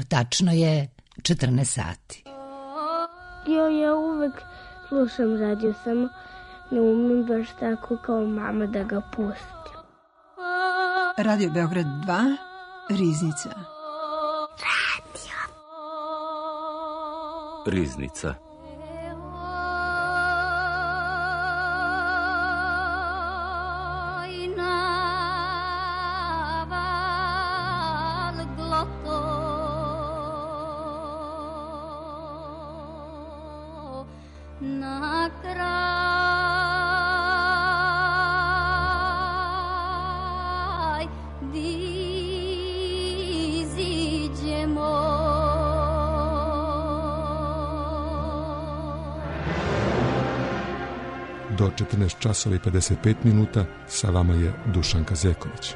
Tačno je 14 sati. Ja uvek slušam radio, samo ne umem baš tako kao mama da ga pustim. Radio Beograd 2, Riznica. Riznica. Do 14 časova i 55 minuta sa vama je Dušanka Zeković.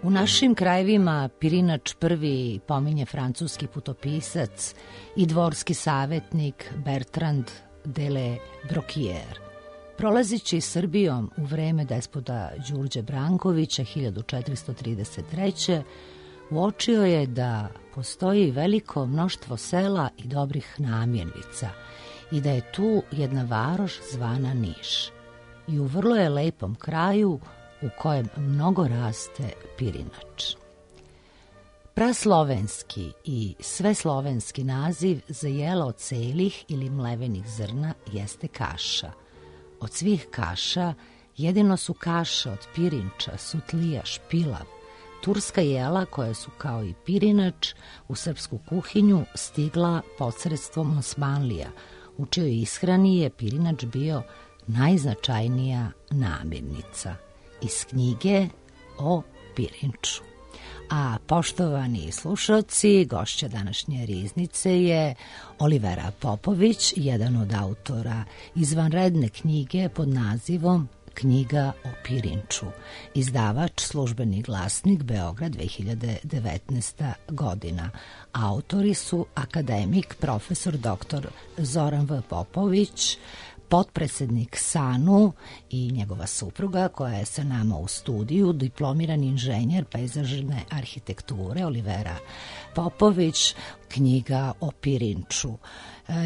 U našim krajevima Pirinač prvi pominje francuski putopisac i dvorski savjetnik Bertrand de Le Brocquier. Prolazići Srbijom u vreme despota Đurđe Brankovića 1433. uočio je da postoji veliko mnoštvo sela i dobrih namirnica i da je tu jedna varoš zvana Niš. I u vrlo je lepom kraju u kojem mnogo raste pirinač. Praslovenski i sveslovenski naziv za jelo od celih ili mlevenih zrna jeste kaša. Od svih kaša jedino su kaše od pirinča, sutlija, špilav, turska jela koja su kao i pirinač u srpsku kuhinju stigla posredstvom Osmanlija, u čijoj ishrani je pirinač bio najznačajnija namirnica. Iz knjige o pirinču. A poštovani slušalci, gošća današnje Riznice je Olivera Popović, jedan od autora izvanredne knjige pod nazivom Knjiga o pirinču. Izdavač Službeni glasnik Beograd 2019. godina. Autori su akademik profesor dr. Zoran V. Popović, potpredsednik SANU i njegova supruga koja je sa nama u studiju, diplomirani inženjer pejzažne arhitekture Olivera Popović, Knjiga o pirinču.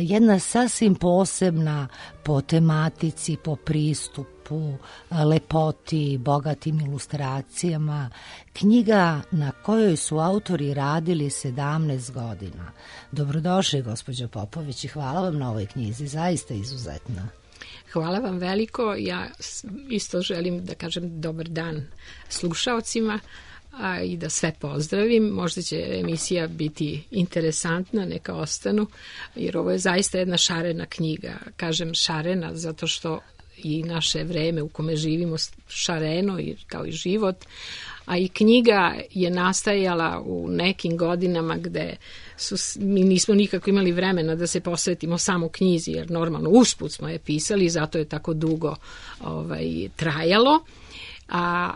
Jedna sasvim posebna po tematici, po pristupu, lepoti, bogatim ilustracijama. Knjiga na kojoj su autori radili 17 godina. Dobrodošli, gospođo Popović, i hvala vam na ovoj knjizi, zaista izuzetna. Hvala vam veliko. Ja isto želim da kažem dobar dan slušaocima i da sve pozdravim. Možda će emisija biti interesantna, neka ostanu, jer ovo je zaista jedna šarena knjiga. Kažem šarena zato što i naše vreme u kome živimo šareno kao i život, a i knjiga je nastajala u nekim godinama gde mi nismo nikako imali vremena da se posvetimo samo knjizi, jer normalno usput smo je pisali, zato je tako dugo trajalo. A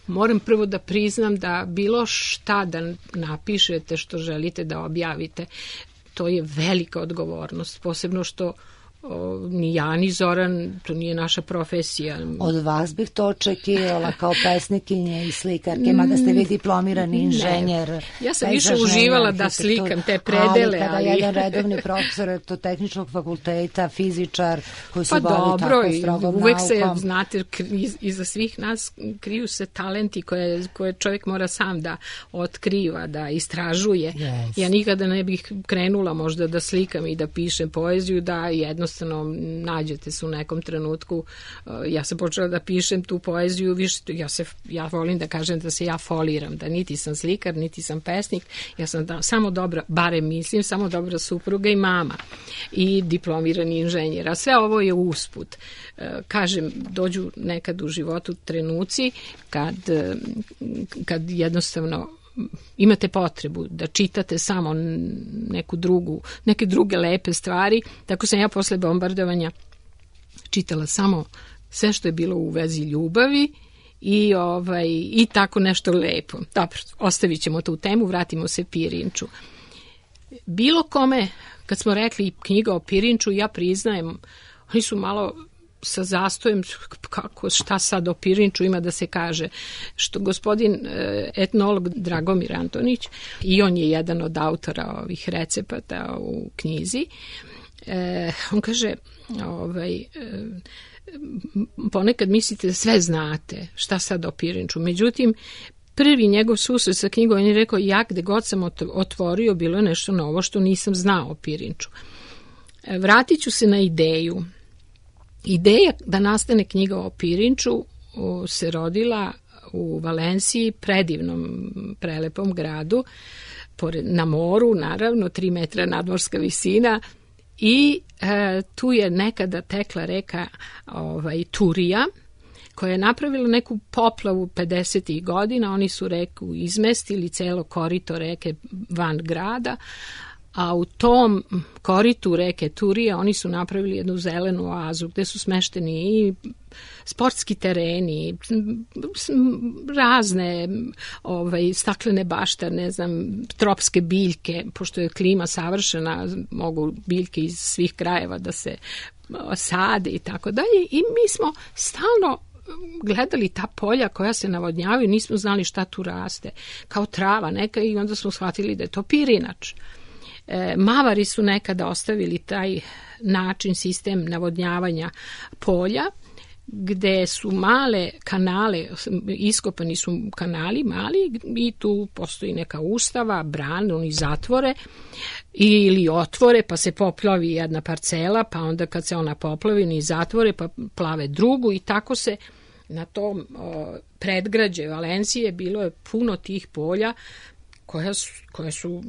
moram prvo da priznam da bilo šta da napišete što želite da objavite, to je velika odgovornost, posebno što ni ja ni Zoran, to nije naša profesija. Od vas bih to očekivala kao pesnikinje i slikarke, mada ste vi diplomirani inženjer. Ja sam više uživala da slikam te predele. Ali kada jedan redovni profesor tehničkog fakulteta, fizičar koji se bavi tako strogom naukom. Uvek se, znate, iza svih nas kriju se talenti koje čovjek mora sam da otkriva, da istražuje. Yes. Ja nikada ne bih krenula možda da slikam i da pišem poeziju, da jednostavno nađete se u nekom trenutku. Ja sam počela da pišem tu poeziju, ja volim da kažem da se ja foliram, da niti sam slikar, niti sam pesnik, ja sam samo dobra, barem mislim, samo dobra supruga i mama i diplomirani inženjer, a sve ovo je usput. Kažem, dođu nekad u životu trenuci kad jednostavno imate potrebu da čitate samo neke druge lepe stvari, tako sam ja posle bombardovanja čitala samo sve što je bilo u vezi ljubavi i tako nešto lepo. Dobro, ostavit ćemo tu temu, vratimo se Pirinču. Bilo kome, kad smo rekli knjiga o Pirinču, ja priznajem, oni su malo sa zastojem, šta sad o Pirinču ima da se kaže, što gospodin etnolog Dragomir Antonić, i on je jedan od autora ovih recepata u knjizi, on kaže, ponekad mislite da sve znate, šta sad o Pirinču, međutim, prvi njegov susret sa knjigom, on je rekao, ja gde god sam otvorio, bilo je nešto novo što nisam znao o Pirinču. Vratit ću se na ideju. Ideja da nastane knjiga o Pirinču se rodila u Valenciji, predivnom, prelepom gradu, na moru, naravno, 3 metra nadmorska visina, i tu je nekada tekla reka Turija, koja je napravila neku poplavu 50. godina. Oni su reku izmestili, celo korito reke van grada, a u tom koritu reke Turija oni su napravili jednu zelenu oazu gde su smešteni i sportski tereni, razne staklene bašte, ne znam, tropske biljke, pošto je klima savršena, mogu biljke iz svih krajeva da se sade i tako dalje. I mi smo stalno gledali ta polja koja se navodnjavaju, nismo znali šta tu raste, kao trava neka, i onda smo shvatili da je to pirinač. Mavari su nekada ostavili taj način, sistem navodnjavanja polja, gde su male kanale, iskopani su kanali mali i tu postoji neka ustava, bran, oni zatvore ili otvore, pa se poplavi jedna parcela, pa onda kad se ona poplavi, oni zatvore, pa plave drugu, i tako se na tom predgrađe Valencije bilo je puno tih polja koje su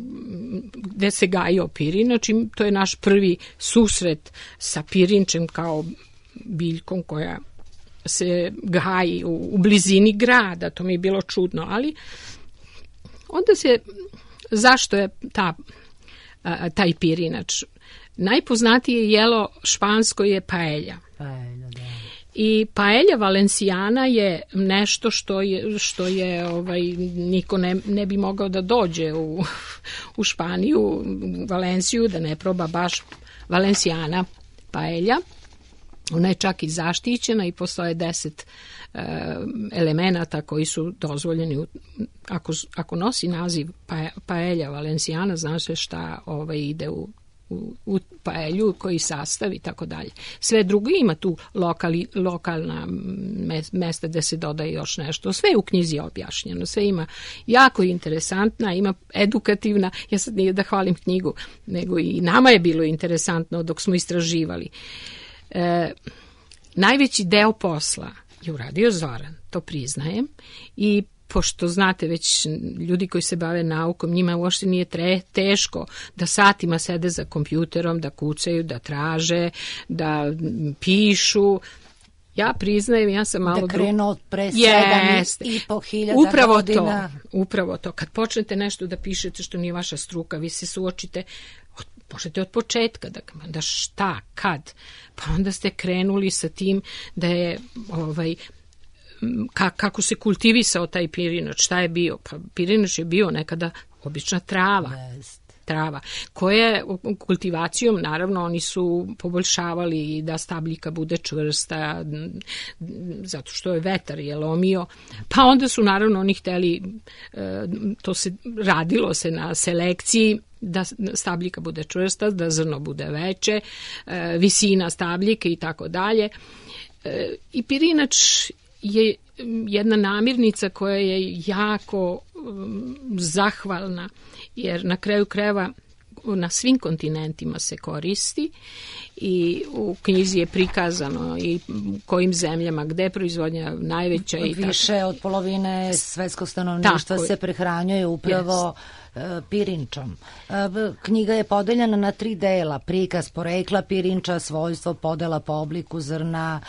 gde se gajio pirinač, i to je naš prvi susret sa pirinčem kao biljkom koja se gaji u blizini grada. To mi je bilo čudno, ali onda zašto je taj pirinač? Najpoznatije jelo špansko je paella. I paella valencijana je nešto što je niko ne bi mogao da dođe u Španiju, u Valenciju, da ne proba baš valencijana paella. Ona je čak i zaštićena i postoje 10 elemenata koji su dozvoljeni. Ako nosi naziv paella valencijana, znaš se šta ide u paelju, koji sastav i tako dalje. Sve drugo ima tu lokalna mesta gde se dodaje još nešto. Sve je u knjizi objašnjeno, sve ima jako interesantna, ima edukativna. Ja sad nije da hvalim knjigu, nego i nama je bilo interesantno dok smo istraživali. Najveći deo posla je uradio Zoran, to priznajem, i pošto znate već ljudi koji se bave naukom, njima uopšte nije teško da satima sede za kompjuterom, da kucaju, da traže, da pišu. Ja priznajem, ja sam malo... Da krenu od pre 7.500 godina. Upravo to. Kad počnete nešto da pišete što nije vaša struka, vi se suočite, možete od početka, da šta, kad. Pa onda ste krenuli sa tim da je... kako se kultivisao taj pirinač, šta je bio? Pa pirinač je bio nekada obična trava, koje kultivacijom, naravno, oni su poboljšavali da stabljika bude čvrsta, zato što je vetar je lomio, pa onda su, naravno, oni hteli, radilo se na selekciji, da stabljika bude čvrsta, da zrno bude veće, visina stabljike i tako dalje. I pirinač je jedna namirnica koja je jako zahvalna, jer na kraju krajeva na svim kontinentima se koristi i u knjizi je prikazano i kojim zemljama, gde je proizvodnja najveća. Više od polovine svetskog stanovništva se prehranjuje upravo pirinčom. Knjiga je podeljena na 3 dela: prikaz porekla pirinča, svojstvo, podela po obliku zrna,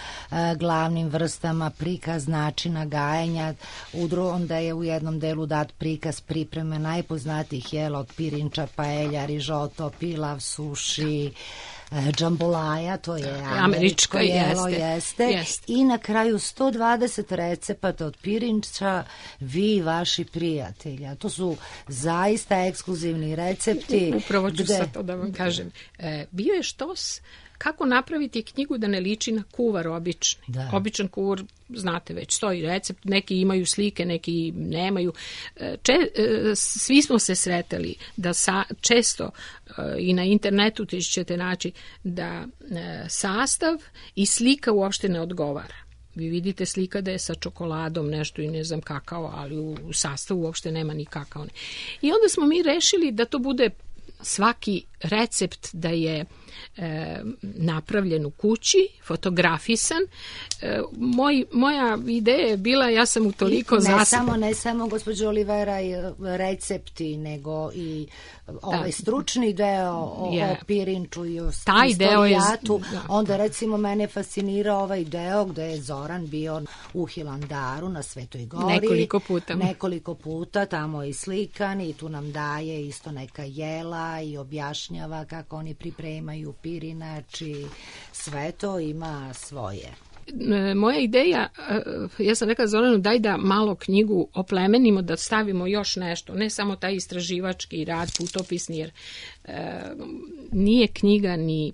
glavnim vrstama, prikaz načina gajenja. Onda je u jednom delu dat prikaz pripreme najpoznatijih jela od pirinča: paelja, rižoto, pilav, suši, džambolaja, to je američko jelo, jeste. I na kraju 120 recepata od pirinča, vi i vaši prijatelji. To su zaista ekskluzivni recepti. Upravo ću sad to da vam kažem. Bio je štos kako napraviti knjigu da ne liči na kuvar obični. Običan kuvar, znate već, stoji recept, neki imaju slike, neki nemaju. Svi smo se sretali da često i na internetu ćete naći da sastav i slika uopšte ne odgovara. Vi vidite slika da je sa čokoladom nešto i ne znam kakao, ali u sastavu uopšte nema ni kakao. I onda smo mi rešili da to bude svaki recept da je napravljen u kući, fotografisan. Moja ideja je bila, ja sam u toliko ne samo gospođo Olivera recepti, nego i ovaj stručni deo o pirinču i o istorijatu. Onda recimo mene fascinira ovaj deo gde je Zoran bio u Hilandaru na Svetoj gori. Nekoliko puta, tamo je i slikan i tu nam daje isto neka jela i objašnjava kako oni pripremaju pirinač i sve to ima svoje. Moja ideja, ja sam rekla Zoranu, daj da malo knjigu oplemenimo, da stavimo još nešto, ne samo taj istraživački rad, putopisni, jer nije knjiga ni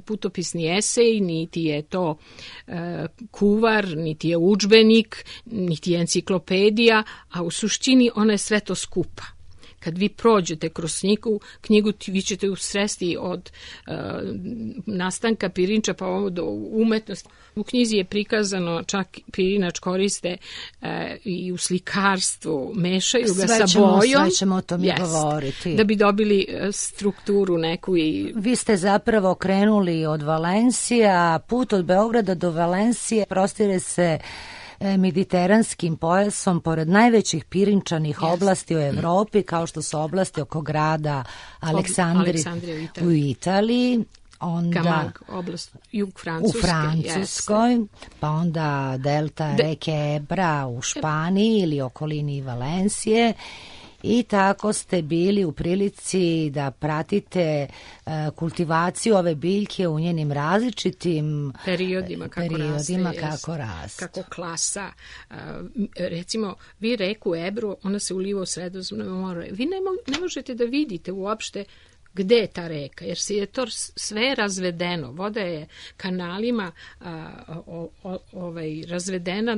putopisni esej, niti je to kuvar, niti je udžbenik, niti je enciklopedija, a u suštini ona je sve to skupa. Kad vi prođete kroz knjigu vi ćete usresti od nastanka pirinča pa ovo do umetnosti. U knjizi je prikazano, čak pirinač koriste i u slikarstvu, mešaju ga sa bojom. Sve ćemo o tome govoriti. Da bi dobili strukturu neku. Vi ste zapravo krenuli od Valencija, put od Beograda do Valencije prostire se mediteranskim pojasom pored najvećih pirinčanih oblasti u Evropi, kao što su oblasti oko grada Aleksandrije u Italiji, onda Camargue, oblast jug Francuske, u Francuskoj, pa onda delta reke Ebra u Španiji ili okolini Valencije. I tako ste bili u prilici da pratite kultivaciju ove biljke u njenim različitim periodima kako raste. Kako klasa. Recimo, vi reku Ebru, ona se uliva u Sredozemno more. Vi ne možete da vidite uopšte gde je ta reka, jer se je to sve razvedeno. Voda je kanalima razvedena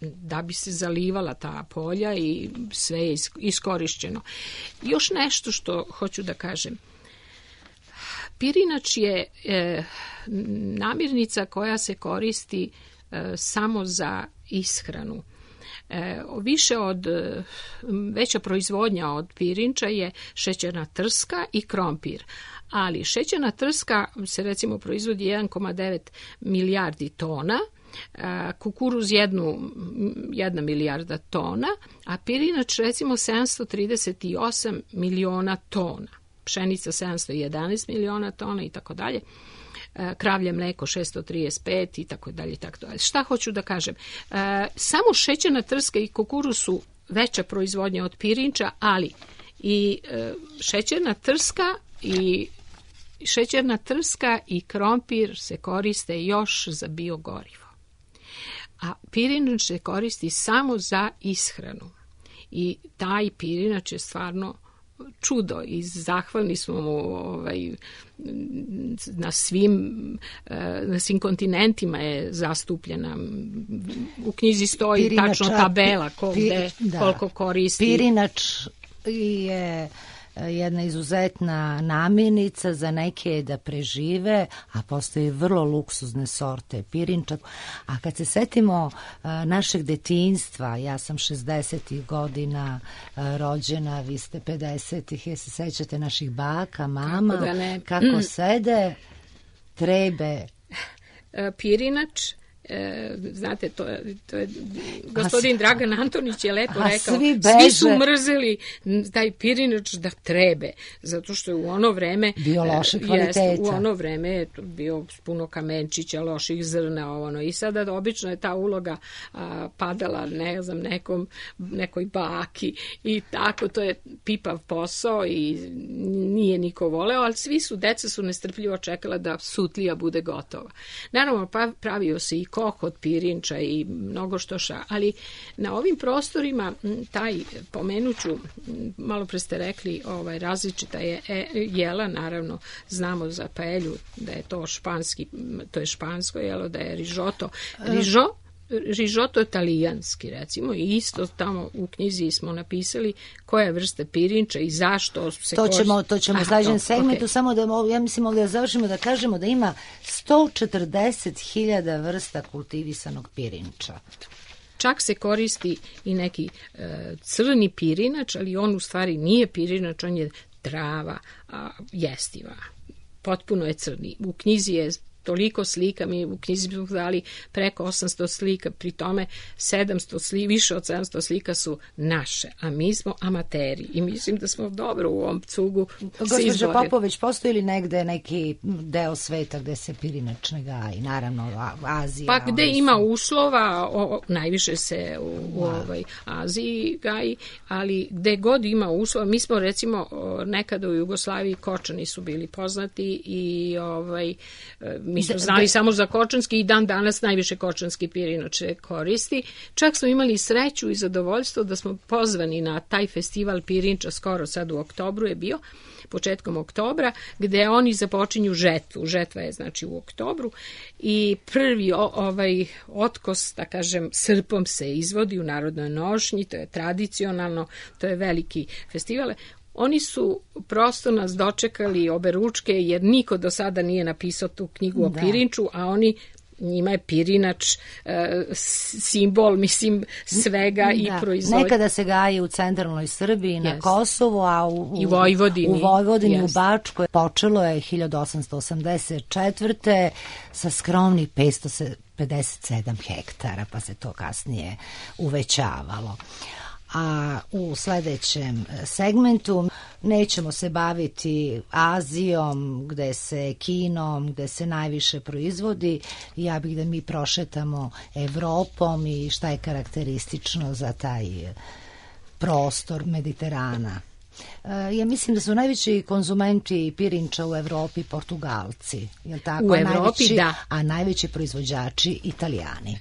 da bi se zalivala ta polja i sve je iskorišćeno. Još nešto što hoću da kažem. Pirinač je namirnica koja se koristi samo za ishranu. Veća proizvodnja od pirinča je šećerna trska i krompir. Ali šećerna trska se recimo proizvodi 1,9 milijardi tona, kukuruz 1 milijarda tona, a pirinač recimo 738 miliona tona, pšenica 711 miliona tona i tako dalje, kravlje mleko 635 i tako dalje. Šta hoću da kažem? Samo šećerna trska i kukuruz su veća proizvodnja od pirinča, ali i šećerna trska i krompir se koriste još za biogorivo. A pirinač se koristi samo za ishranu. I taj pirinač je stvarno čudo i zahvalni smo mu na svim kontinentima je zastupljena. U knjizi stoji tačno tabela koliko koristi. Pirinač je jedna izuzetna namirnica, za neke je da prežive, a postoji vrlo luksuzne sorte pirinča. A kad se setimo našeg detinjstva, ja sam 60. godina rođena, vi ste 50. Je se sećate naših baka, mama, kako sede, trebe. Pirinač, znate, to je gospodin Dragan Antonić je lepo rekao, svi su mrzeli taj pirinač da trebe, zato što je u ono vreme bio loše kvaliteta. U ono vreme je bio puno kamenčića, loših zrna, i sada obično je ta uloga padala, ne znam, nekoj baki i tako, to je pipav posao i nije niko voleo, ali deca su nestrpljivo čekala da sutlija bude gotova. Naravno, pravio se i koh od pirinča i mnogo što ali na ovim prostorima pomenuću, malo pre ste rekli, različita je jela, naravno znamo za paelju da je to špansko jelo, da je rižoto italijanski, recimo, i isto tamo u knjizi smo napisali koja je vrsta pirinča i zašto se to ćemo u sledećem segmentu, samo da ja mislim da završimo da kažemo da ima 140.000 vrsta kultivisanog pirinča. Čak se koristi i neki crni pirinač, ali on u stvari nije pirinač, on je trava jestiva. Potpuno je crni. U knjizi je toliko slika, mi u knjizi smo dali preko 800 slika, pri tome više od 700 slika su naše, a mi smo amateri i mislim da smo dobro u ovom cugu se izborili. Gospođo Popović, postoji li negde neki deo sveta gde se pirinač ne gaji? Naravno, Azija. Pa gde ima uslova, najviše se u Aziji gaji, ali gde god ima uslova, mi smo recimo nekada u Jugoslaviji kočani su bili poznati i mi smo znali samo za kočanski i dan danas najviše kočanski pirinač se koristi. Čak smo imali sreću i zadovoljstvo da smo pozvani na taj festival pirinča, skoro sad u oktobru je bio, početkom oktobra, gde oni započinju žetvu. Žetva je znači u oktobru i prvi otkos, da kažem, srpom se izvodi u Narodnoj nošnji, to je tradicionalno, to je veliki festival. Oni su prosto nas dočekali oberučke, jer niko do sada nije napisao tu knjigu o pirinču, a njima je pirinač simbol, mislim, svega i proizvodnje. Nekada se gaji u centralnoj Srbiji, na Kosovu, a u Vojvodini, u Bačkoj. Počelo je 1884. sa skromnih 557 hektara, pa se to kasnije uvećavalo. A u sledećem segmentu nećemo se baviti Azijom, Kinom, gde se najviše proizvodi. Ja bih da mi prošetamo Evropom i šta je karakteristično za taj prostor Mediterana. Ja mislim da su najveći konzumenti pirinča u Evropi Portugalci. Je li tako? U Evropi, da. A najveći proizvođači Italijani.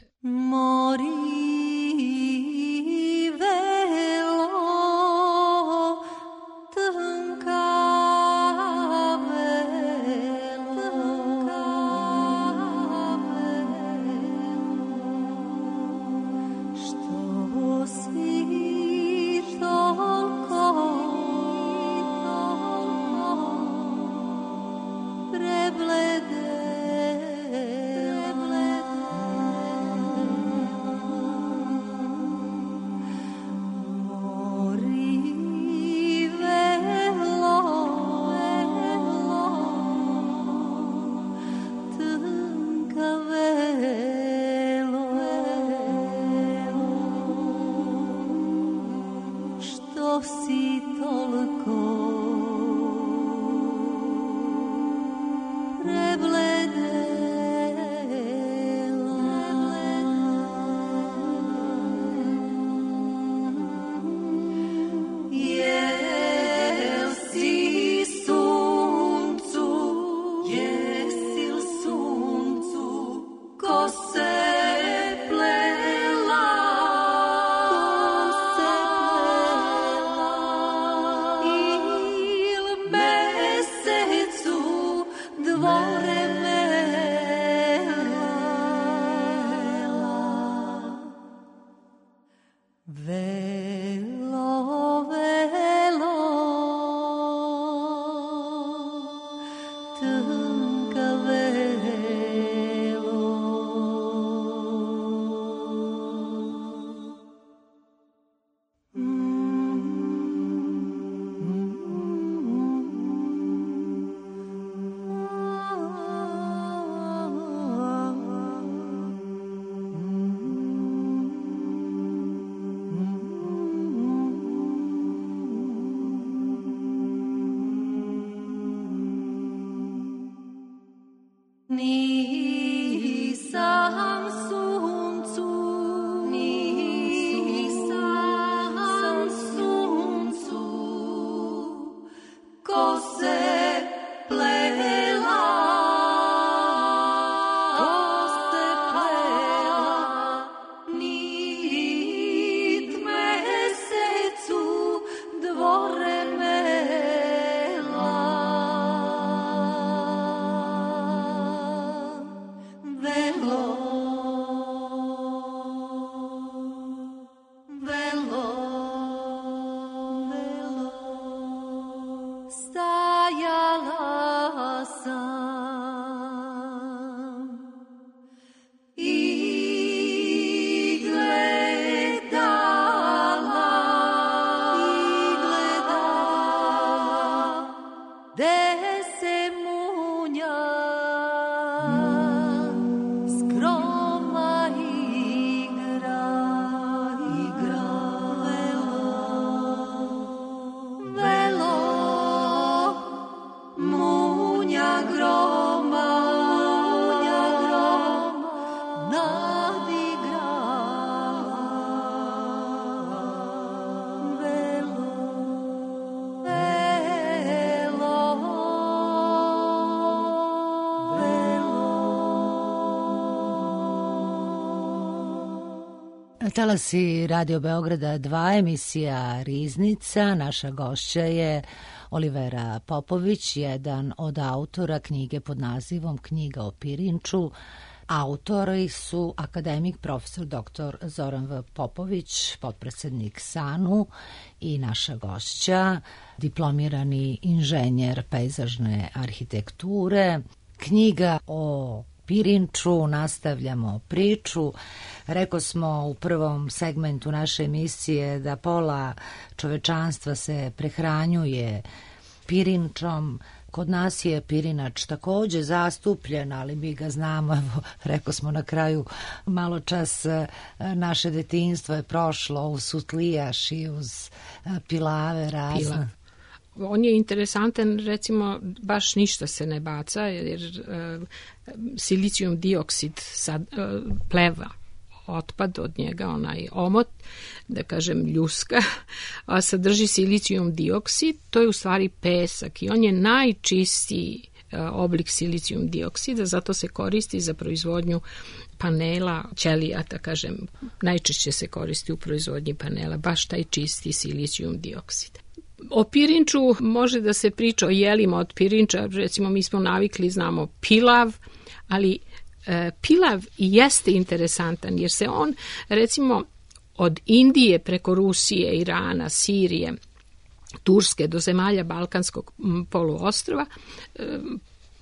Talasi Radio Beograda 2, emisija Riznica. Naša gošća je Olivera Popović, jedan od autora knjige pod nazivom Knjiga o Pirinču. Autori su akademik profesor dr. Zoran V. Popović, potpredsednik SANU, i naša gošća, diplomirani inženjer pejzažne arhitekture. Knjiga o Pirinču, nastavljamo priču. Rekao smo u prvom segmentu naše emisije da pola čovečanstva se prehranjuje pirinčom. Kod nas je pirinač takođe zastupljen, ali mi ga znamo, evo, rekao smo na kraju, malo čas naše detinjstvo je prošlo uz sutlijaš i uz pilave razne. On je interesantan, recimo, baš ništa se ne baca, jer silicijum dioksid pleva, otpad od njega, onaj omot, da kažem ljuska, a sadrži silicijum dioksid, to je u stvari pesak i on je najčistiji oblik silicijum dioksida, zato se koristi za proizvodnju panela, ćelija, da kažem, najčešće se koristi u proizvodnji panela, baš taj čisti silicijum dioksid. O pirinču može da se priča o jelima od pirinča, recimo mi smo navikli, znamo pilav, ali pilav jeste interesantan jer se on, recimo, od Indije preko Rusije, Irana, Sirije, Turske do zemalja Balkanskog poluostrva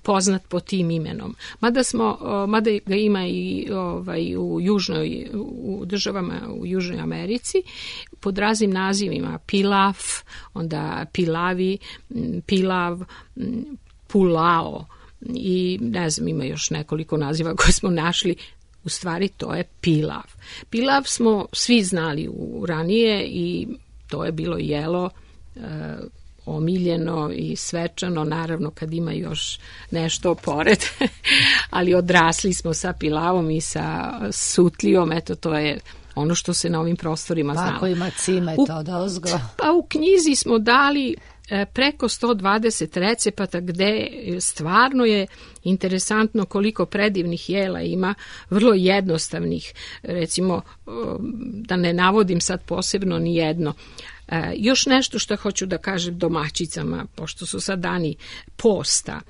poznat po tim imenom. Mada ga ima i u državama u Južnoj Americi pod raznim nazivima: pilaf, onda pilavi, pilav, pulao i ne znam, ima još nekoliko naziva koje smo našli. U stvari to je pilav. Pilav smo svi znali ranije i to je bilo jelo omiljeno i svečano, naravno kad ima još nešto pored, ali odrasli smo sa pilavom i sa sutlijom, eto to je ono što se na ovim prostorima znalo. Ako ima cimet od ozgo. Pa u knjizi smo dali preko 120 recepata gde stvarno je interesantno koliko predivnih jela ima, vrlo jednostavnih, recimo da ne navodim sad posebno ni jedno. Još nešto što hoću da kažem domaćicama, pošto su sad dani posta,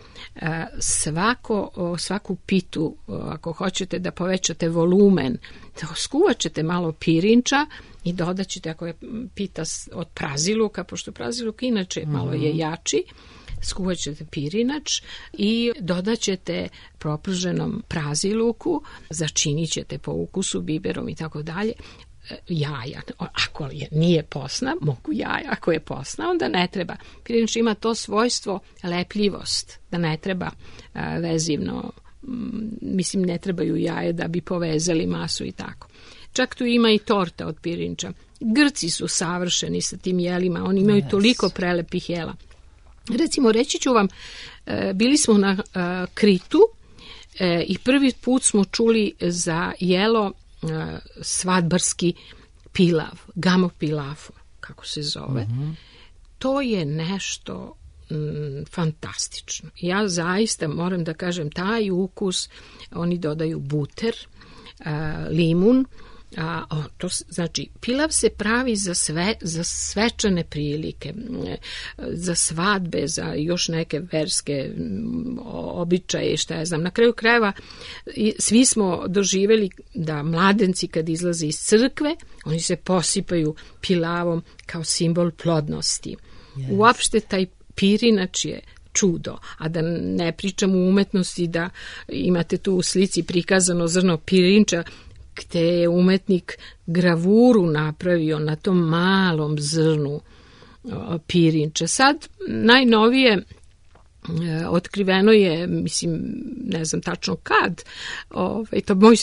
svaku pitu, ako hoćete da povećate volumen, skuvat ćete malo pirinča i dodat ćete, ako je pita od praziluka, pošto praziluk inače malo je jači, skuvat ćete pirinač i dodat ćete proprženom praziluku, začinit ćete po ukusu biberom i tako dalje, jaja. Ako nije posna, mogu jaja. Ako je posna, onda ne treba. Pirinač ima to svojstvo lepljivost, da ne treba vezivno, mislim ne trebaju jaje da bi povezali masu i tako. Čak tu ima i torta od pirinča. Grci su savršeni sa tim jelima, oni imaju toliko prelepih jela. Recimo, reći ću vam, bili smo na Kritu i prvi put smo čuli za jelo svadbarski pilav, gamo pilafo, kako se zove. To je nešto fantastično. Ja zaista moram da kažem, taj ukus, oni dodaju buter, limun, to znači pilav se pravi za svečane prilike, za svadbe, za još neke verske običaje, šta ja znam. Na kraju krajeva svi smo doživjeli da mladenci kad izlaze iz crkve, oni se posipaju pilavom kao simbol plodnosti. Yes. Uopšte taj pirinač je čudo, a da ne pričam u umetnosti, da imate tu u slici prikazano zrno pirinča, gde je umetnik gravuru napravio na tom malom zrnu pirinča. Sad najnovije otkriveno je, mislim, ne znam tačno kad,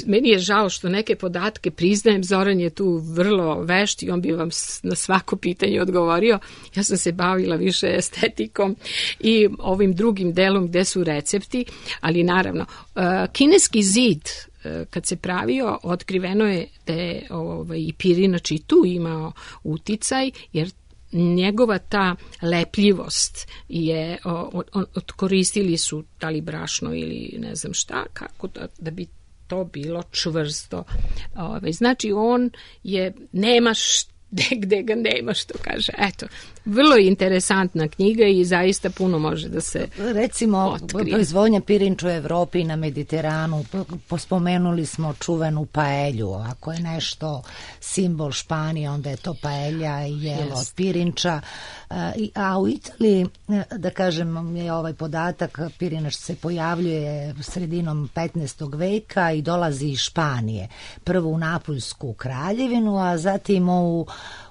meni je žao što neke podatke priznajem, Zoran je tu vrlo vešt i on bi vam na svako pitanje odgovorio. Ja sam se bavila više estetikom i ovim drugim delom gde su recepti, ali naravno, kineski zid kad se pravio, otkriveno je da je i pirinač i tu imao uticaj, jer njegova ta lepljivost je, koristili su da li brašno ili ne znam šta, kako da bi to bilo čvrsto. Znači on je, nemaš gde ga nema, što kaže. Eto, vrlo interesantna knjiga i zaista puno može da se recimo, proizvodnja pirinča u Evropi i na Mediteranu, pospomenuli smo čuvenu paelju. Ako je nešto simbol Španije, onda je to paelja i jelo od pirinča. A u Italiji, da kažem, je ovaj podatak, pirinač se pojavljuje sredinom 15. veka i dolazi iz Španije. Prvo u Napuljsku kraljevinu, a zatim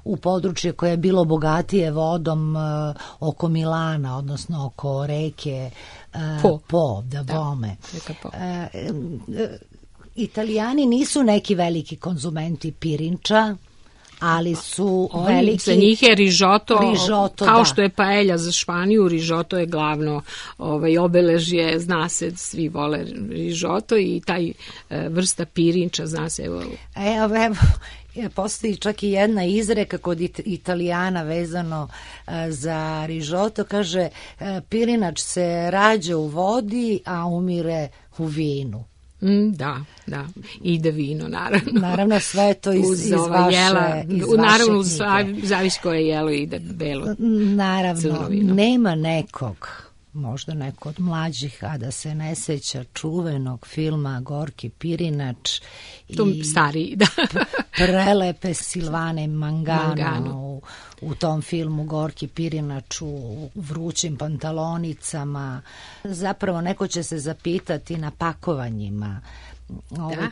u područje koje je bilo bogatije vodom oko Milana, odnosno oko reke Vome. Italijani nisu neki veliki konzumenti pirinča, ali su veliki... Za njih je rižoto kao što je paelja za Španiju, rižoto je glavno obeležje, zna se, svi vole rižoto i taj vrsta pirinča, zna se. Evo, postoji čak i jedna izreka kod Italijana vezano za rižoto, kaže pirinač se rađa u vodi, a umire u vinu. Da, ide vino, naravno. Naravno, sve to iz vaše naravno, zavisi koje jelo ide belo. Naravno, nema nekog, možda neko od mlađih, a da se ne seća čuvenog filma Gorki pirinač i stariji, da. prelepe Silvane Mangano u tom filmu Gorki pirinač u vrućim pantalonicama. Zapravo neko će se zapitati na pakovanjima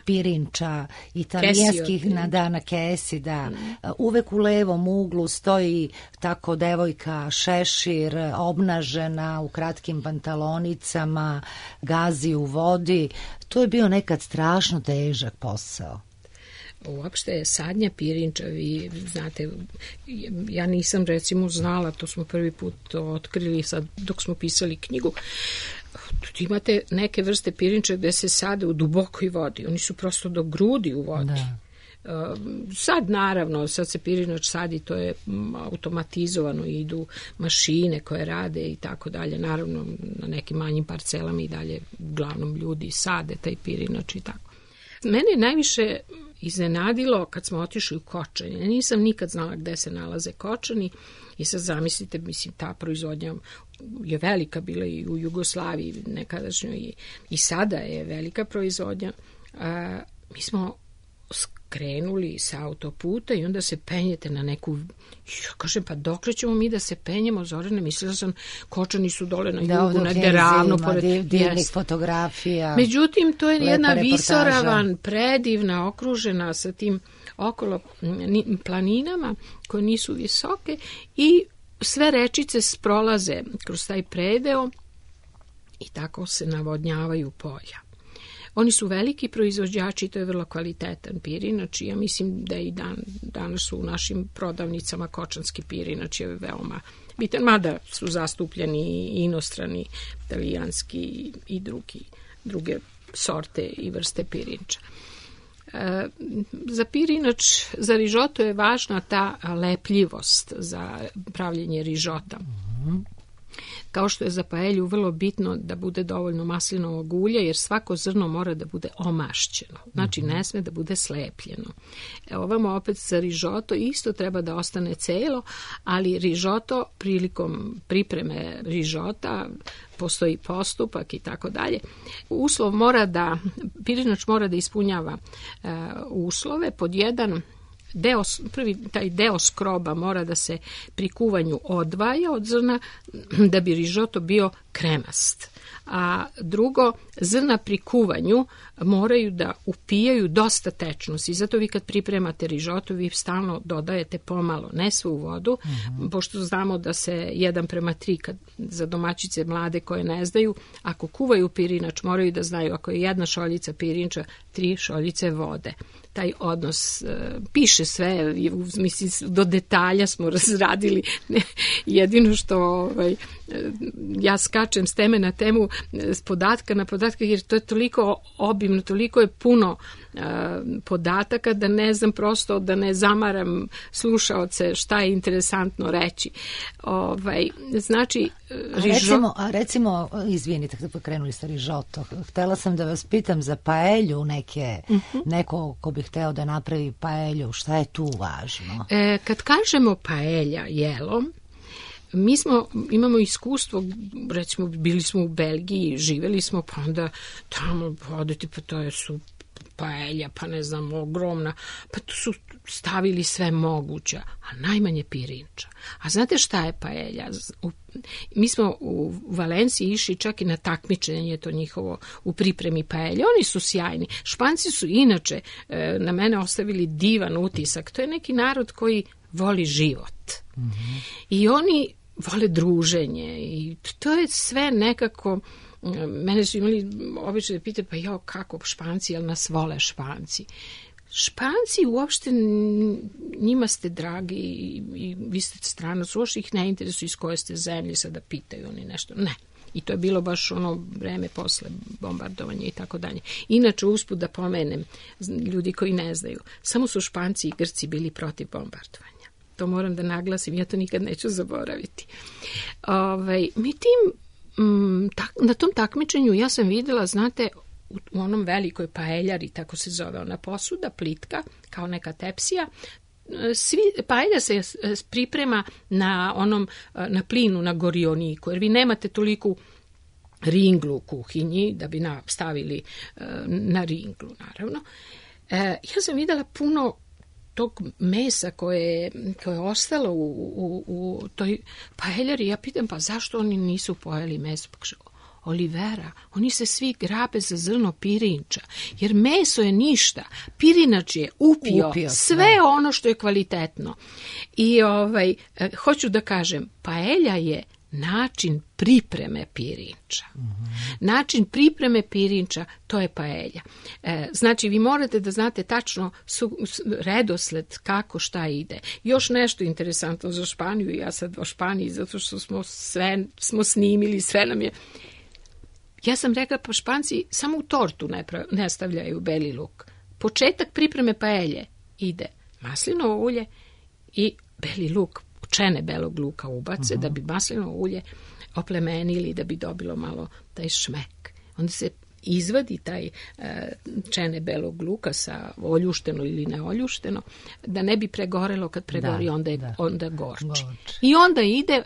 pirinča italijanskih na kesi, da. Uvek u levom uglu stoji tako devojka šešir, obnažena u kratkim pantalonicama, gazi u vodi. To je bio nekad strašno težak posao. Uopšte je sadnja pirinča, vi znate, ja nisam recimo znala, to smo prvi put otkrili sad dok smo pisali knjigu. Imate neke vrste pirinča gde se sade u dubokoj vodi, oni su prosto do grudi u vodi. Da. Sad naravno, sad se pirinač sadi, to je automatizovano, idu mašine koje rade i tako dalje. Naravno, na nekim manjim parcelama i dalje uglavnom ljudi sade taj pirinač i tako. Mene najviše iznenadilo kad smo otišli u Kočanje. Nisam nikad znala gde se nalaze Kočani i sad zamislite, mislim, ta proizvodnja je velika bila i u Jugoslaviji nekadašnjoj i sada je velika proizvodnja. Mi smo skrenuli sa autoputa i onda se penjete na neku... Ja kažem, pa dokle ćemo mi da se penjemo, Zorane? Mislila sam, Kočani su dole na jugu, negde ravno. Divnih fotografija. Međutim, to je jedna visoravan, predivna, okružena sa tim okolo planinama koje nisu visoke i sve rečice prolaze kroz taj predeo i tako se navodnjavaju polja. Oni su veliki proizvođači, to je vrlo kvalitetan pirinač i ja mislim da i danas su u našim prodavnicama kočanski pirinač je veoma bitan, mada su zastupljeni i inostrani, italijanski i druge sorte i vrste pirinča. Za pirinač, za rižoto je važna ta lepljivost za pravljenje rižota. kao što je za paelju vrlo bitno da bude dovoljno maslinovog ulja, jer svako zrno mora da bude omašćeno. Znači, ne sme da bude slepljeno. Ovamo opet za rižoto isto treba da ostane celo, ali rižoto prilikom pripreme rižota postoji postupak i tako dalje. Uslov pirinač mora da ispunjava uslove. Pod jedan, taj deo skroba mora da se pri kuvanju odvaja od zrna da bi rižoto bio kremast. A drugo, zrna pri kuvanju moraju da upijaju dosta tečnosti. Zato vi kad pripremate rižoto, vi stalno dodajete pomalo, ne svu vodu, pošto znamo da se 1:3, kad za domaćice mlade koje ne znaju, ako kuvaju pirinač, moraju da znaju, ako je 1 šoljica pirinča, 3 šoljice vode. Taj odnos piše sve, mislim, do detalja smo razradili. Jedino što ja skačem s teme na temu, s podatka na podatka, jer to je toliko obimno, toliko je puno podataka da ne znam, prosto da ne zamaram slušaoce šta je interesantno reći. Znači, recimo, izvinite, kad pokrenuli ste rižoto, htela sam da vas pitam za paelju neko ko bi hteo da napravi paelju, šta je tu važno? Kad kažemo paelja, jelo, imamo iskustvo, recimo bili smo u Belgiji, živeli smo, pa onda tamo odete, pa to je paelja, pa ne znam, ogromna, pa tu su stavili sve moguće, a najmanje pirinča. A znate šta je paelja? Mi smo u Valenciji išli čak i na takmičenje to njihovo u pripremi paelje. Oni su sjajni. Španci su inače na mene ostavili divan utisak. To je neki narod koji voli život. I oni vole druženje i to je sve nekako. Mene su imali obično da pitaju, pa kako Španci, jel nas vole Španci? Španci uopšte, njima ste dragi i vi ste stranac, uopšte ih ne interesuju iz koje ste zemlje, sada pitaju oni nešto. Ne. I to je bilo baš ono vreme posle bombardovanja i tako dalje. Inače, usput da pomenem, ljudi koji ne znaju, samo su Španci i Grci bili protiv bombardovanja. To moram da naglasim, ja to nikad neću zaboraviti. Na tom takmičenju ja sam videla, znate, u onom velikoj paeljari, tako se zove ona posuda, plitka, kao neka tepsija, paelja se priprema na plinu, na gorioniku, jer vi nemate toliku ringlu u kuhinji da bi stavili na ringlu, naravno. Ja sam videla puno tog mesa koje je ostalo u toj paeljari. Ja pitam, pa zašto oni nisu pojeli meso? Pa kaže, Olivera, oni se svi grabe za zrno pirinča, jer meso je ništa. Pirinač je upio sve ono što je kvalitetno. I hoću da kažem, paelja je način pripreme pirinča. Način pripreme pirinča, to je paelja. Znači, vi morate da znate tačno redosled kako šta ide. Još nešto interesantno za Španiju, ja sad o Španiji, zato što smo snimili, sve nam je. Ja sam rekla, pa Španci samo u tortu ne stavljaju beli luk. Početak pripreme paelje ide maslinovo ulje i beli luk, čene belog luka ubace, da bi maslinovo ulje oplemenili, da bi dobilo malo taj šmek. Onda se izvadi taj čene belog luka sa oljušteno ili neoljušteno, da ne bi pregorelo, kad pregori onda gorči. I onda ide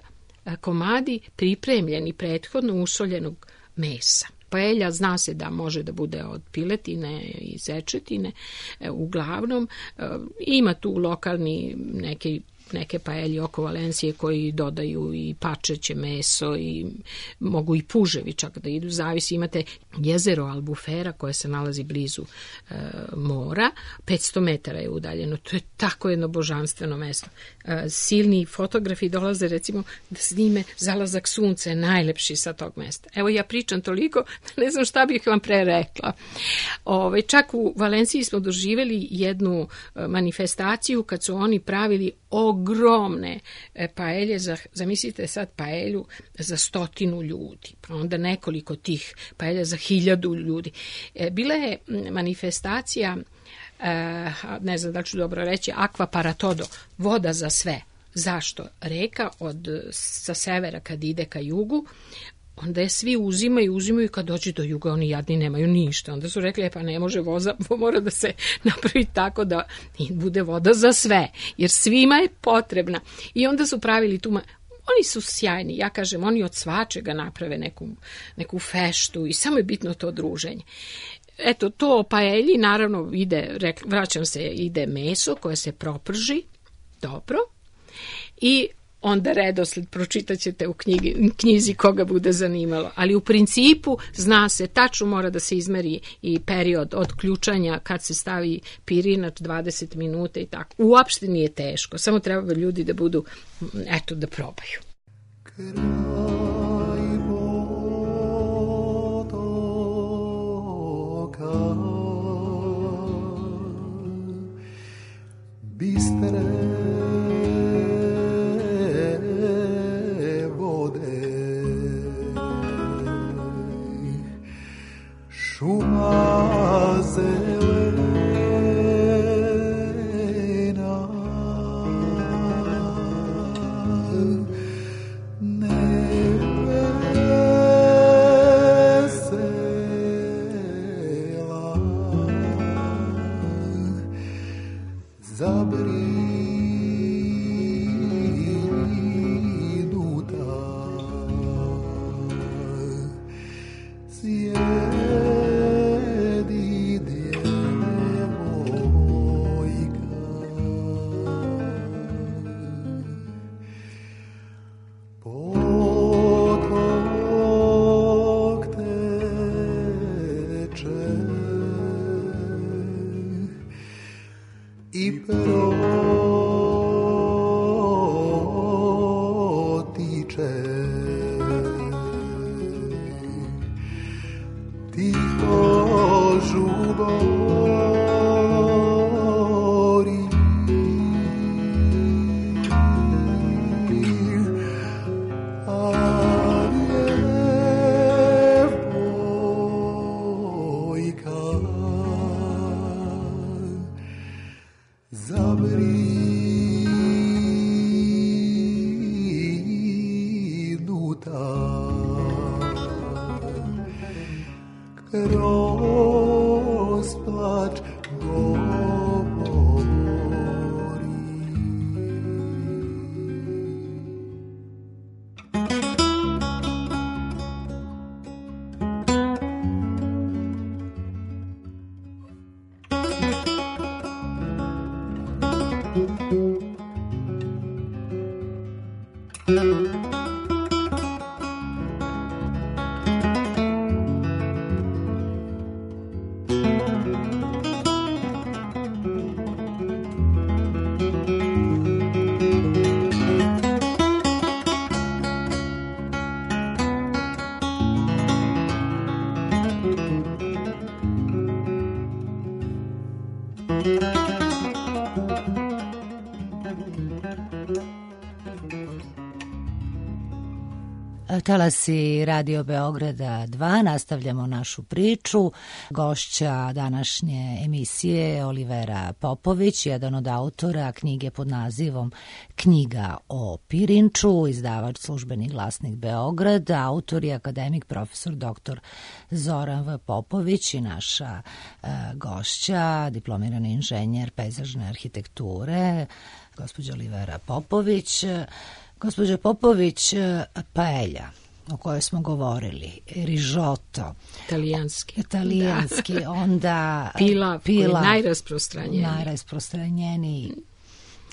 komadi pripremljeni prethodno usoljenog mesa. Paelja zna se da može da bude od piletine i zečetine, uglavnom ima tu lokalni neke paelje oko Valencije koji dodaju i pačeće meso i mogu i puževi čak da idu, zavisi. Imate jezero Albufera koje se nalazi blizu mora, 500 metara je udaljeno, to je tako jedno božanstveno mesto. Silni fotografi dolaze recimo da snime zalazak sunca, najlepši sa tog mesta. Evo, ja pričam toliko da ne znam šta bih vam pre rekla. Čak u Valenciji smo doživjeli jednu manifestaciju kad su oni pravili ogromne paelje, zamislite sad paelju za 100 ljudi, pa onda nekoliko tih paelja za 1000 ljudi. Bila je manifestacija, ne znam da ću dobro reći, Aqua para todo, voda za sve. Zašto? Reka sa severa kad ide ka jugu, onda je svi uzimaju i kad dođe do juga oni jadni nemaju ništa. Onda su rekli, pa ne može voza, mora da se napravi tako da bude voda za sve, jer svima je potrebna. I onda su pravili tu... Oni su sjajni, ja kažem, oni od svačega naprave neku feštu i samo je bitno to druženje. Eto, to o paelji, naravno, ide meso koje se proprži, dobro, i onda redosled pročitat ćete u knjizi koga bude zanimalo. Ali u principu zna se, tačno mora da se izmeri i period od ključanja kad se stavi pirinač 20 minuta i tako. Uopšte nije teško, samo treba ljudi da budu, eto, da probaju. Šuma zelena, nebe vesela, zabrinuta, i protiče tiho žubori, a djevojka zabrinuta kroz plač govori. Talasi Radio Beograda 2, nastavljamo našu priču. Gošća današnje emisije je Olivera Popović, jedan od autora knjige pod nazivom Knjiga o pirinču, izdavač Službeni glasnik Beograd, autor je akademik profesor dr. Zoran V. Popović i naša gošća, diplomirani inženjer pejzažne arhitekture, gospođa Olivera Popović. Gospođo Popović, paelja o kojoj smo govorili, rižoto, italijanski, da. Onda pilav najrasprostranjeniji,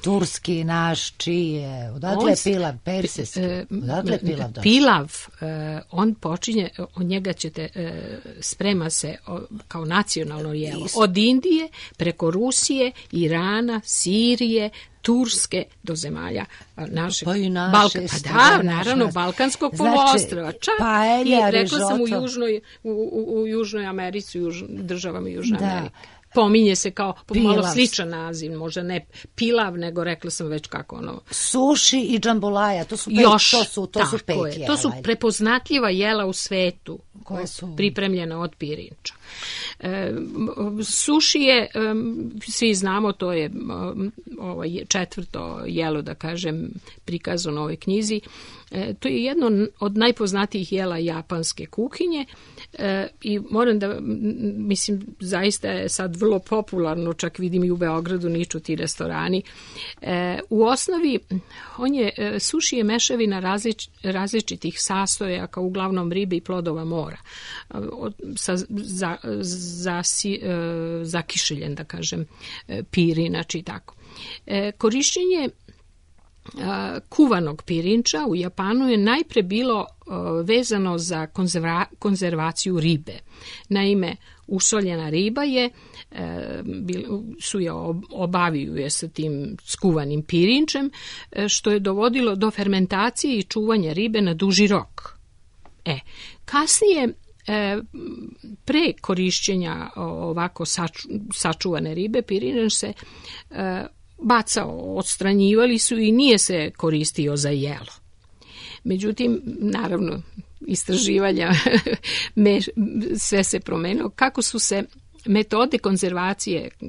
turski naš, čije, odatle pilav, persijski, odatle pilav došli. Pilav, on počinje, od njega ćete, sprema se kao nacionalno jelo, od Indije, preko Rusije, Irana, Sirije, Turske do zemalja našeg naravno balkanskog poluostrva. Čak i rekla sam u Južnoj Americi, državama Južne Amerike. Pominje se kao malo sličan naziv, možda ne pilav, nego rekla sam već kako ono. Suši i džambolaja, to su peke. To su prepoznatljiva jela u svetu. pripremljena od pirinča. Suši je, svi znamo, to je četvrto jelo, da kažem, prikazano u ovoj knjizi. To je jedno od najpoznatijih jela japanske kuhinje i moram da, mislim, zaista je sad vrlo popularno, čak vidim i u Beogradu niču ti restorani. U osnovi, suši je mešavina različitih sastojaka, uglavnom ribe i plodova mora, zakišeljen, da kažem, pirinač i tako. Korišćenje kuvanog pirinča u Japanu je najpre bilo vezano za konzervaciju ribe. Naime, usoljena riba obaviju je sa tim skuvanim pirinčem, što je dovodilo do fermentacije i čuvanja ribe na duži rok. Kasnije, pre korišćenja ovako sačuvane ribe, pirinč se bacao, odstranjivali su i nije se koristio za jelo. Međutim, naravno, istraživanja sve se promenilo. Kako su se metode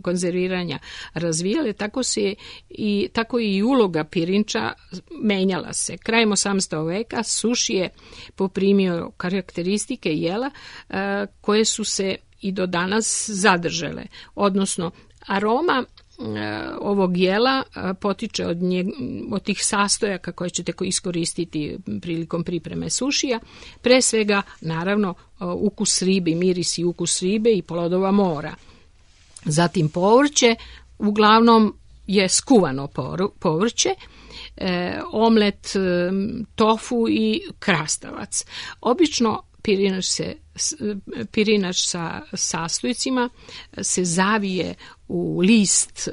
konzerviranja razvijale, tako i uloga pirinča menjala se. Krajem 18. veka suši je poprimio karakteristike jela koje su se i do danas zadržale, odnosno aroma ovog jela potiče od tih sastojaka koje ćete iskoristiti prilikom pripreme sušija, pre svega naravno ukus ribe, miris i ukus ribe i plodova mora. Zatim povrće, uglavnom je skuvano povrće, omlet, tofu i krastavac. Obično pirinač sa sastojcima se zavije u list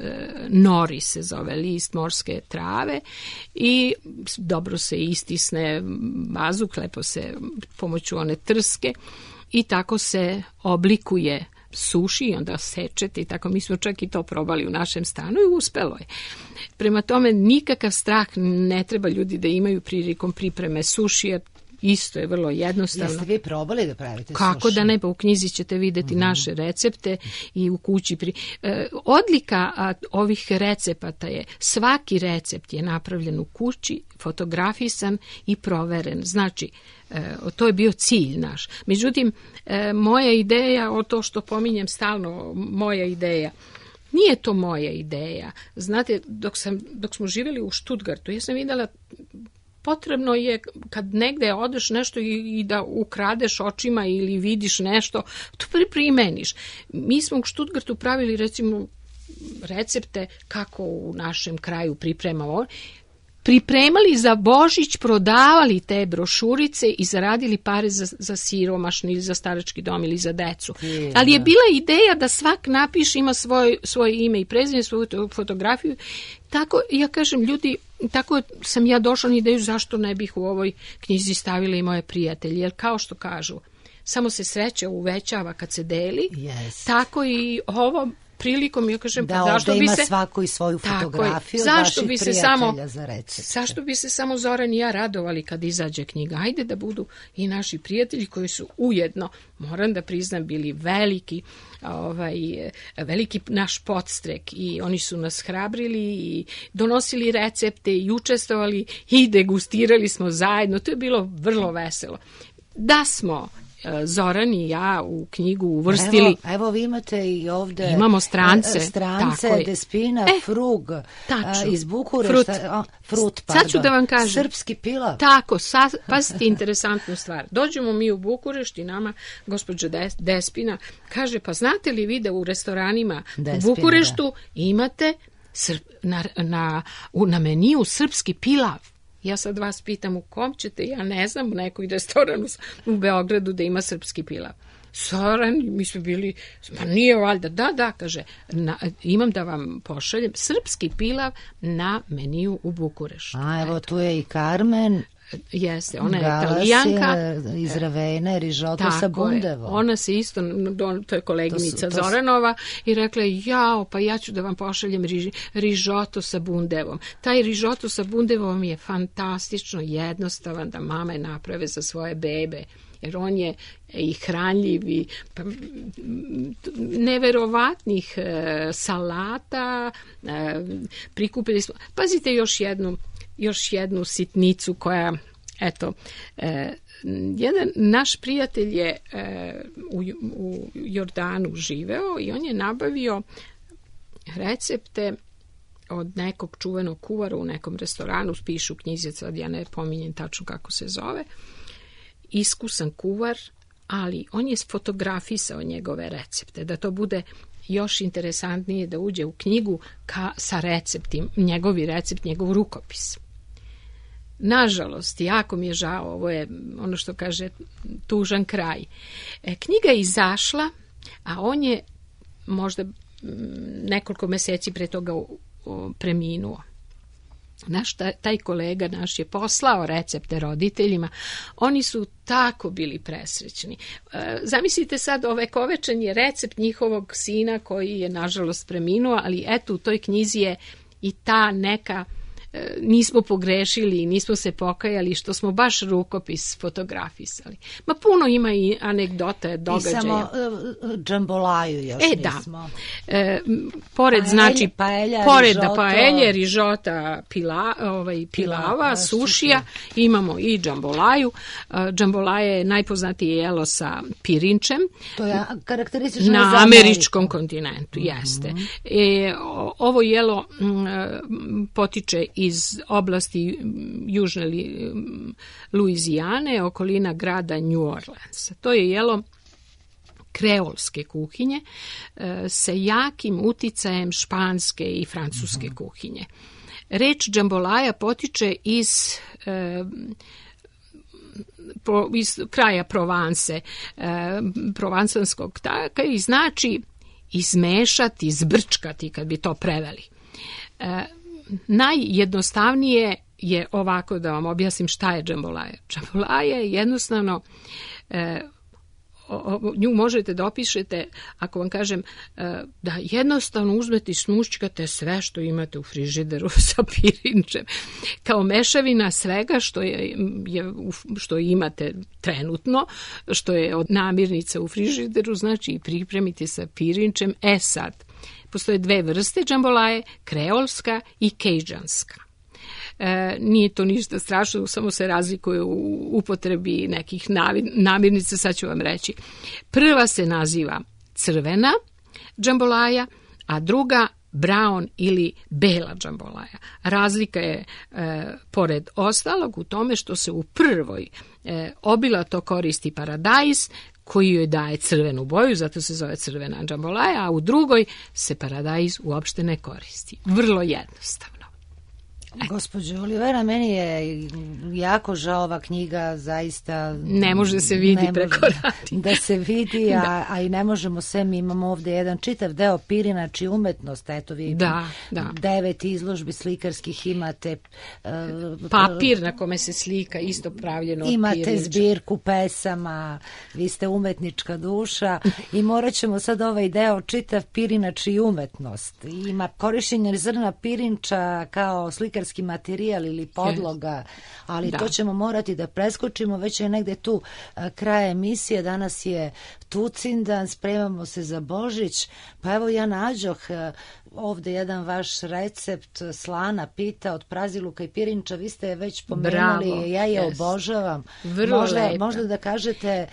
nori, se zove list morske trave, i dobro se istisne vazduh, lepo se pomoću one trske i tako se oblikuje suši i onda sečete i tako. Mi smo čak i to probali u našem stanu i uspelo je. Prema tome, nikakav strah ne treba ljudi da imaju prilikom pripreme sušija. Isto je vrlo jednostavno. Jeste vi probali da pravite suši? Kako da ne, pa u knjizi ćete vidjeti naše recepte i u kući. Odlika ovih recepata je, svaki recept je napravljen u kući, fotografisan i proveren. Znači, to je bio cilj naš. Međutim, moja ideja, o to što pominjem stalno, moja ideja, nije to moja ideja. Znate, dok smo živjeli u Stuttgartu, ja sam vidjela, potrebno je kad negde odeš nešto i da ukradeš očima ili vidiš nešto, to primeniš. Mi smo u Stuttgartu pravili, recimo, recepte kako u našem kraju pripremali za Božić, prodavali te brošurice i zaradili pare za siromašni ili za starački dom ili za decu. Ali je bila ideja da svak napiše, ima svoje ime i prezime, svoju fotografiju. Tako, ja kažem, ljudi, tako sam ja došla na ideju zašto ne bih u ovoj knjizi stavila i moje prijatelje, jer kao što kažu, samo se sreća uvećava kad se deli, tako i ovo prilikom, ja kažem, da ovdje ima svako i svoju fotografiju vaših prijatelja za recept. Zašto bi se samo Zoran i ja radovali kad izađe knjiga? Ajde da budu i naši prijatelji koji su ujedno, moram da priznam, bili veliki naš podstrek i oni su nas hrabrili i donosili recepte i učestvovali i degustirali smo zajedno. To je bilo vrlo veselo. Da smo Zoran i ja u knjigu uvrstili. Evo vi imate i ovdje. Imamo strance. Despina, Frug iz Bukurešta. Sad ću da vam kažem. Srpski pilav. Tako, pazite interesantnu stvar. Dođemo mi u Bukurešt i nama gospođa Despina kaže, pa znate li vi da u restoranima u Bukureštu imate na meniju srpski pilav? Ja sad vas pitam u kom ćete, ja ne znam, u nekoj restoranu u Beogradu da ima srpski pilav. Zoran, mi smo bili, pa nije valjda, da, kaže, imam da vam pošaljem srpski pilav na meniju u Bukureštu. Evo tu je i Carmen. Jeste, ona je Italijanka. Iz Ravene, rižoto sa bundevom. Ona se isto, to je koleginica Zoranova, i rekla je, pa ja ću da vam pošaljem rižoto sa bundevom. Taj rižoto sa bundevom je fantastično jednostavan da mame naprave za svoje bebe. jer on je i hranljiv i neverovatnih salata, prikupili smo. Pazite još jednu sitnicu koja, eto, jedan naš prijatelj je u Jordanu živeo i on je nabavio recepte od nekog čuvenog kuvara u nekom restoranu, pišu u knjizi, sad ja ne pominjem tačno kako se zove, iskusan kuvar, ali on je fotografisao njegove recepte, da to bude još interesantnije, da uđe u knjigu sa receptima, njegovi recept, njegov rukopis. Nažalost, jako mi je žao, ovo je ono što kaže tužan kraj. Knjiga je izašla, a on je možda nekoliko meseci pre toga preminuo. Taj kolega naš je poslao recepte roditeljima. Oni su tako bili presrećni. Zamislite sad, ovekovečen je recept njihovog sina koji je nažalost preminuo, ali eto u toj knjizi je i ta neka, nismo pogrešili, nismo se pokajali što smo baš rukopis fotografisali. Ma puno ima i anegdota, događaja. I samo džambolaju još nismo. Da. Pored, znači, pored paelje, rižota, pilava, sušija, imamo i džambolaju. Džambolaja je najpoznatije jelo sa pirinčem. To je karakteristično na američkom kontinentu, jeste. Ovo jelo potiče iz oblasti južne Luizijane, okolina grada New Orleans. To je jelo kreolske kuhinje sa jakim uticajem španske i francuske kuhinje. Reč džambolaja potiče iz kraja Provence, provansanskog taka, i znači izmešati, zbrčkati, kad bi to preveli. Najjednostavnije je ovako, da vam objasnim šta je džambolaja. Džambolaja je jednostavno, nju možete da opišete, ako vam kažem, da jednostavno uzmete i smušćkate sve što imate u frižideru sa pirinčem. Kao mešavina svega što imate trenutno, što je od namirnica u frižideru, znači i pripremite sa pirinčem. Sad, postoje dve vrste džambolaje, kreolska i kejđanska. Nije to ništa strašno, samo se razlikuje u upotrebi nekih namirnica, sad ću vam reći. Prva se naziva crvena džambolaja, a druga brown ili bela džambolaja. Razlika je, pored ostalog, u tome što se u prvoj obilato koristi paradajz, koji joj daje crvenu boju, zato se zove crvena džambolaja, a u drugoj se paradajz uopšte ne koristi. Vrlo jednostavno. Gospođo Olivera, meni je jako žao, ova knjiga zaista ne može se vidi preko radija. Da se vidi, a i ne možemo sve. Mi imamo ovde jedan čitav deo pirinač i umetnost. Eto vi 9 izložbi slikarskih imate. Papir na kome se slika isto pravljeno od imate pirinča. zbirku pesama, vi ste umetnička duša i morat ćemo sad ovaj deo čitav pirinač i umetnost. Ima korišćenje zrna pirinča kao slikarski materijal ili podloga, ali to ćemo morati da preskočimo, već je negde tu kraj emisije, danas je Tucindan, spremamo se za Božić, pa evo ja nađoh ovde jedan vaš recept slana pita od praziluka i pirinča, vi ste već pomenuli, ja je obožavam. Možda da kažete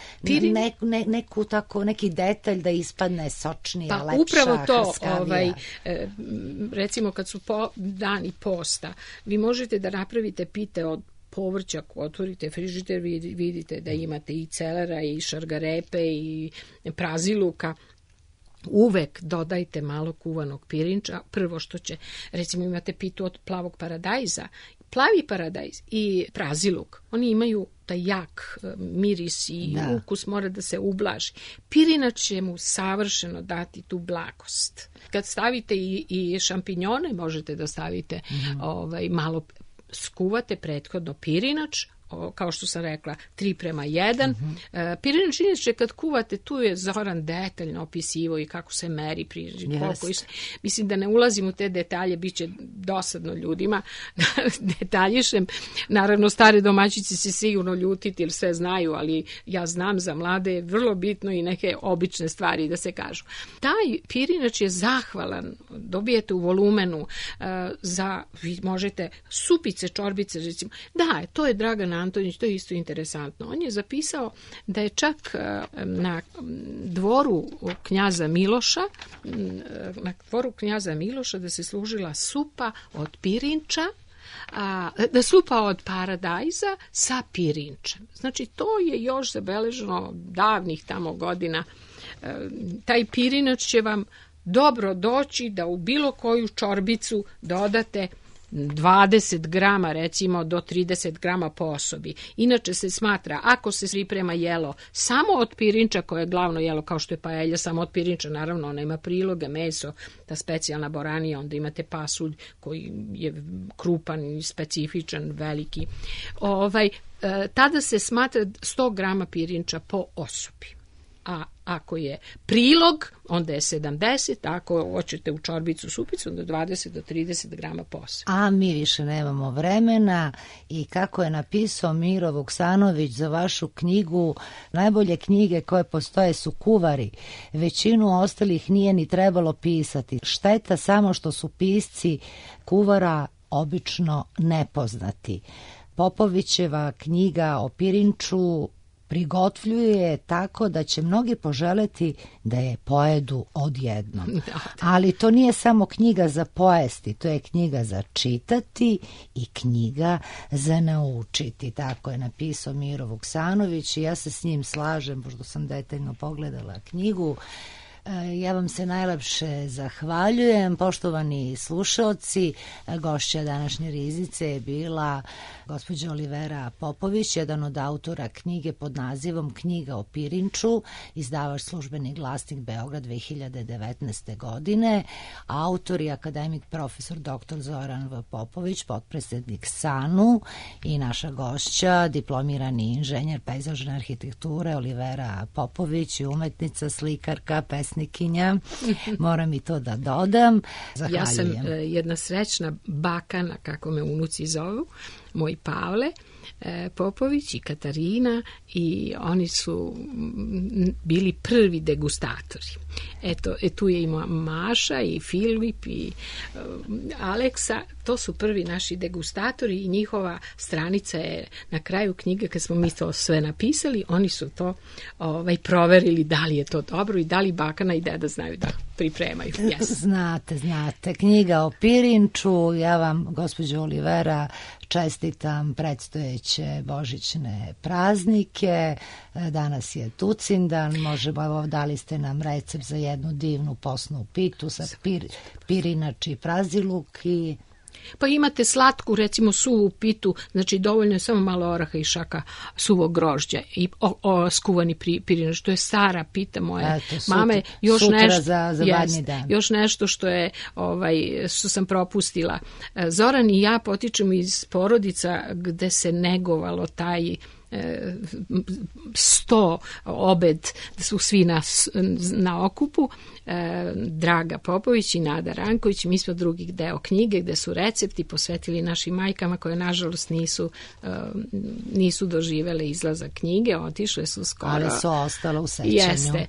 neku tako, neki detalj da ispadne sočnija, lepša, upravo to, hrskavija. Recimo kad su dani posta, vi možete da napravite pite od povrća, ako otvorite frižider, vidite da imate i celera i šargarepe i praziluka. Uvek dodajte malo kuvanog pirinča. Prvo što će, recimo imate pitu od plavog paradajza, plavi paradajz i praziluk, oni imaju taj jak miris i ukus, mora da se ublaži. Pirinač će mu savršeno dati tu blagost. Kad stavite i šampinjone, možete da stavite malo, skuvate prethodno pirinač, kao što sam rekla, 3:1. Pirinač inače kad kuvate, tu je Zoran detaljno opisivo i kako se meri pirinač. Mislim da ne ulazim u te detalje, bit će dosadno ljudima. Detaljišem. Naravno, stare domaćice se sigurno ljutiti jer sve znaju, ali ja znam za mlade je vrlo bitno i neke obične stvari da se kažu. Taj pirinač je zahvalan, dobijete u volumenu vi možete supice, čorbice, recimo. Da, to je Dragan Antonić, to je isto interesantno. On je zapisao da je čak na dvoru knjaza Miloša da se služila supa od pirinča, supa od paradajza sa pirinčem. Znači, to je još zabeleženo davnih tamo godina. Taj pirinač će vam dobro doći da u bilo koju čorbicu dodate 20 grama, recimo do 30 grama po osobi. Inače se smatra, ako se priprema jelo samo od pirinča, koje je glavno jelo kao što je paelja, samo od pirinča, naravno ona ima priloge, meso, ta specijalna boranija, onda imate pasulj koji je krupan i specifičan, veliki. Tada se smatra 100 grama pirinča po osobi. A ako je prilog, onda je 70, a ako hoćete u čorbicu supicu, onda 20 do 30 grama po osobi. A mi više nemamo vremena i kako je napisao Miro Vuksanović za vašu knjigu, najbolje knjige koje postoje su kuvari. Većinu ostalih nije ni trebalo pisati. Šteta samo što su pisci kuvara obično nepoznati. Popovićeva knjiga o pirinču prigotvljuje tako da će mnogi poželeti da je pojedu odjednom. Ali to nije samo knjiga za pojesti, to je knjiga za čitati i knjiga za naučiti. Tako je napisao Miro Vuksanović i ja se s njim slažem, pošto sam detaljno pogledala knjigu. Ja vam se najlepše zahvaljujem, poštovani slušaoci. Gošća današnje riznice je bila gospođa Olivera Popović, jedan od autora knjige pod nazivom Knjiga o pirinču, izdavač Službeni glasnik Beograd 2019. godine. Autor je akademik profesor dr. Zoran V. Popović, potpredsjednik SANU, i naša gošća, diplomirani inženjer pejzažne arhitekture Olivera Popović, umetnica, slikarka, pesnikinja. Moram i to da dodam. Zahvaljujem. Ja sam jedna srećna bakana, kako me unuci zovu, moj Pavle Popović i Katarina, i oni su bili prvi degustatori. Eto, tu je i Maša i Filip i Aleksa, to su prvi naši degustatori i njihova stranica je na kraju knjige, kad smo mi to sve napisali, oni su to proverili da li je to dobro i da li bakana i deda znaju da pripremaju. Yes. Znate, knjiga o pirinču. Ja vam, gospođo Olivera, čestitam predstojeće božićne praznike. Danas je Tucindan, možemo, dali ste nam recept za jednu divnu posnu pitu sa pirinač i praziluk i... Pa imate slatku, recimo suvu pitu, znači dovoljno je samo malo oraha i šaka suvog grožđa i skuvani pirinač, to je stara pita moje mame. Sutra za badnji dan. Još nešto što je, što sam propustila. Zoran i ja potičemo iz porodica gde se negovalo taj 100 obed, da su svi na okupu. Draga Popović i Nada Ranković, mi smo drugi deo knjige gde su recepti posvetili našim majkama koje nažalost nisu doživele izlazak knjige, otišle su skoro. Ali su ostale u sećanju. Jeste.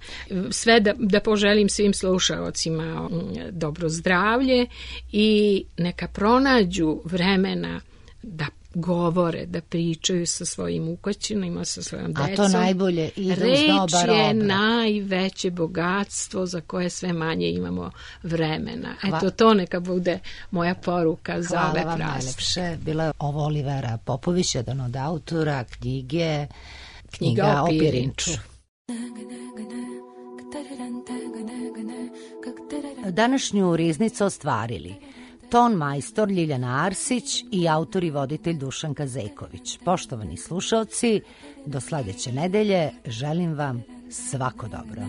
Sve da poželim svim slušaocima dobro zdravlje i neka pronađu vremena da govore, da pričaju sa svojim ukućanima, sa svojom decom. A to najbolje ide uz dobar obraz. Reč je najveće bogatstvo za koje sve manje imamo vremena. Eto, to neka bude moja poruka za ove prazne. Hvala vam najlepše. Bila je ovo Olivera Popović, jedan od autora knjige Knjiga o pirinču. Današnju riznicu ostvarili ton majstor Ljiljana Arsić i autor i voditelj Dušan Kazeković. Poštovani slušaoci, do sledeće nedelje želim vam svako dobro.